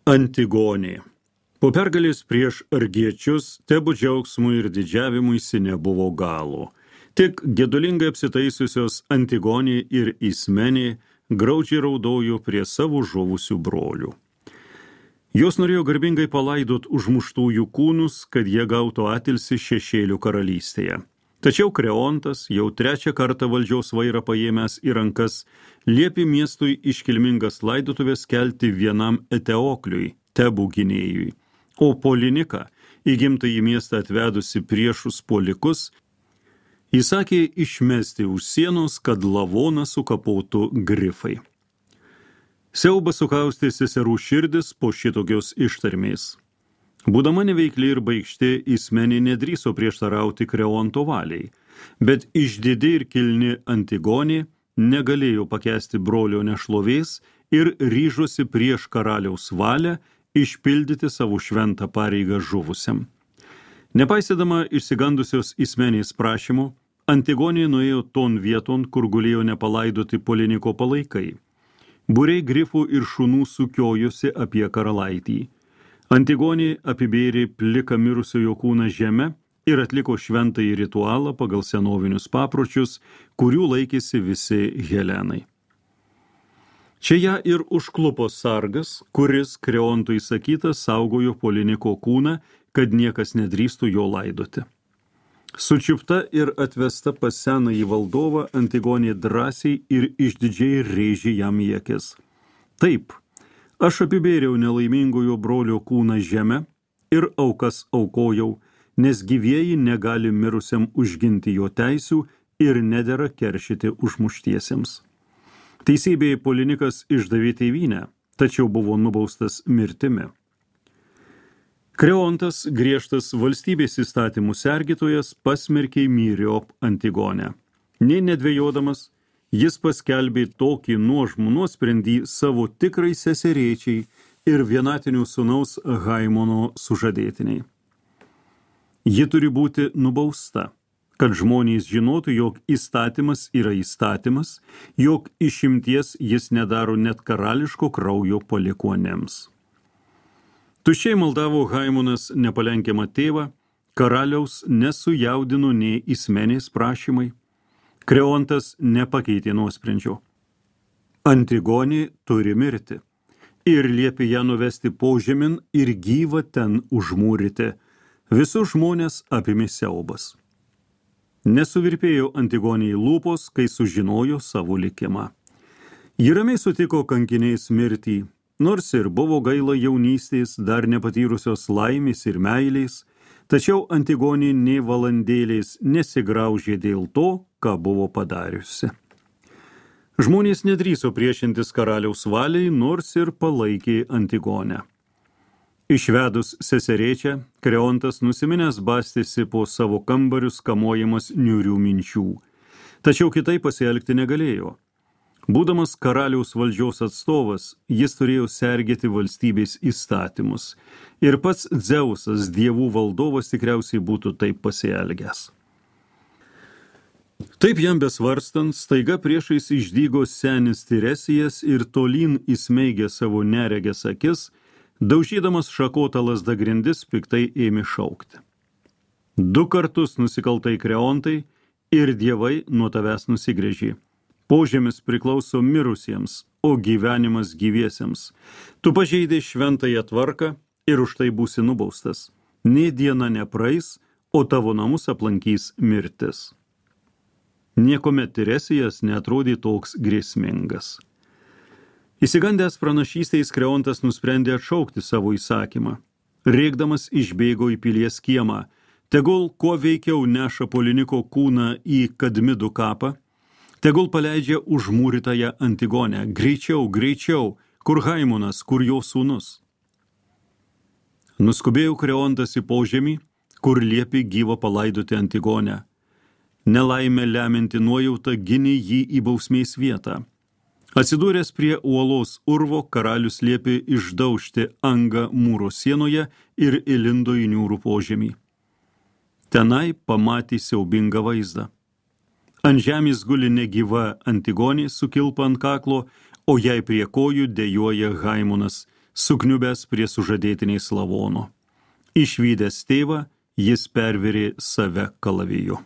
Antigonė. Po pergalės prieš argiečius Tebų džiaugsmui ir didžiavimuisi nebuvo galo. Tik gedulingai apsitaisiusios Antigonė ir Ismenė graudžiai raudojo prie savo žuvusių brolių. Jos norėjo garbingai palaidot užmuštųjų kūnus, kad jie gautų atilsį šešėlių karalystėje. Tačiau Kreontas, jau trečią kartą valdžios vairą paėmęs į rankas, liepė miestui iškilmingas laidotuvės kelti vienam Eteokliui, Tebų gynėjui, o Polinika, įgimtąjį miestą atvedusi priešus puolikus, įsakė išmesti už sienos, kad lavoną sukapotų grifai. Siaubas sukaustė seserų širdis po šitokios ištarmės. Būdama neveikli ir baikšti, Ismenė nedrįso prieštarauti Kreonto valiai, bet išdidi ir kilni Antigonė negalėjo pakęsti brolio nešlovės ir ryžosi prieš karaliaus valią išpildyti savo šventą pareigą žuvusiam. Nepaisydama išsigandusios Ismenės prašymų, Antigonė nuėjo ton vieton, kur gulėjo nepalaidoti Poliniko palaikai. Būriai grifų ir šunų sukiojosi apie karalaitį. Antigonė apibėrė pliką mirusiojo kūną žeme ir atliko šventąjį ritualą pagal senovinius papročius, kurių laikėsi visi helenai. Čia ją ir užklupo sargas, kuris Kreonto įsakytas saugojo Poliniko kūną, kad niekas nedrįstų jo laidoti. Sučiupta ir atvesta pas senąjį valdovą, Antigonė drąsiai ir išdidžiai rėžė jam į akis. Taip, aš apibėriau nelaimingojo brolio kūną žemę ir aukas aukojau, nes gyvieji negali mirusiam užginti jo teisių ir nedera keršyti užmuštiesiems. Teisybėje Polinikas išdavė tėvynę, tačiau buvo nubaustas mirtimi. Kreontas, griežtas valstybės įstatymų sergėtojas, pasmerkė myriop Antigonę. Nė nedvejodamas, jis paskelbė tokį nuožmų nuosprendį savo tikrai seserėčiai ir vienatinių sūnaus Haimono sužadėtiniai. Ji turi būti nubausta, kad žmonės žinotų, jog įstatymas yra įstatymas, jog išimties jis nedaro net karališko kraujo palikuonėms. Tuščiai maldavo Haimonas nepalenkiamą tėvą, karaliaus nesujaudino nei Ismenės prašymai. Kreontas nepakeitė nuosprendžio. Antigonė turi mirti ir liepė ją nuvesti požemin ir gyvą ten užmūryti. Visus žmonės apėmė siaubas. Nesuvirpėjo Antigonei lūpos, kai sužinojo savo likimą. Ji ramiai sutiko kankiniais mirtį, nors ir buvo gaila jaunystės, dar nepatyrusios laimės ir meilės, tačiau Antigonė nė valandėlės nesigraužė dėl to, ką buvo padariusi. Žmonės nedrįso priešintis karaliaus valiai, nors ir palaikė Antigonę. Išvedus seserėčią, Kreontas nusiminęs bastėsi po savo kambarius kamojamas niūrių minčių, tačiau kitaip pasielgti negalėjo. Būdamas karaliaus valdžios atstovas, jis turėjo sergėti valstybės įstatymus ir pats Dzeusas, dievų valdovas, tikriausiai būtų taip pasielgęs. Taip jam besvarstant, staiga priešais išdygo senis Tiresijas ir tolyn įsmeigė savo neregės akis, daužydamas šakotą lazdą grindis, piktai ėmė šaukti. 2 kartus nusikaltai Kreontai ir dievai nuo tavęs nusigręžė. Požemis priklauso mirusiems, o gyvenimas gyviesiems. Tu pažeidai šventąją tvarką ir už tai būsi nubaustas. Nė diena nepraeis, o tavo namus aplankys mirtis. Niekuomet Tiresijas neatrodė toks grėsmingas. Įsigandęs pranašystės, Kreontas nusprendė atšaukti savo įsakymą. Rėkdamas išbėgo į pilies kiemą. Tegul kuo veikiau neša Poliniko kūną į Kadmidų kapą, tegul paleidžia užmūrytąją Antigonę. Greičiau, greičiau, kur Haimonas, kur jo sūnus. Nuskubėjo Kreontas į požemį, kur liepė gyvą palaidoti Antigonę. Nelaimė leminti nuojautą ginė jį į bausmės vietą. Atsidūręs prie uolos urvo, karalius liepė išdaužti angą mūro sienoje ir įlindo į niūrų požemį. Tenai pamatė siaubingą vaizdą. Ant žemės guli negyva Antigonė su kilpa ant kaklo, o jai prie kojų dejuoja Haimonas, sukniubęs prie sužadėtiniais lavono. Išvydęs tėvą, jis pervėrė save kalaviju.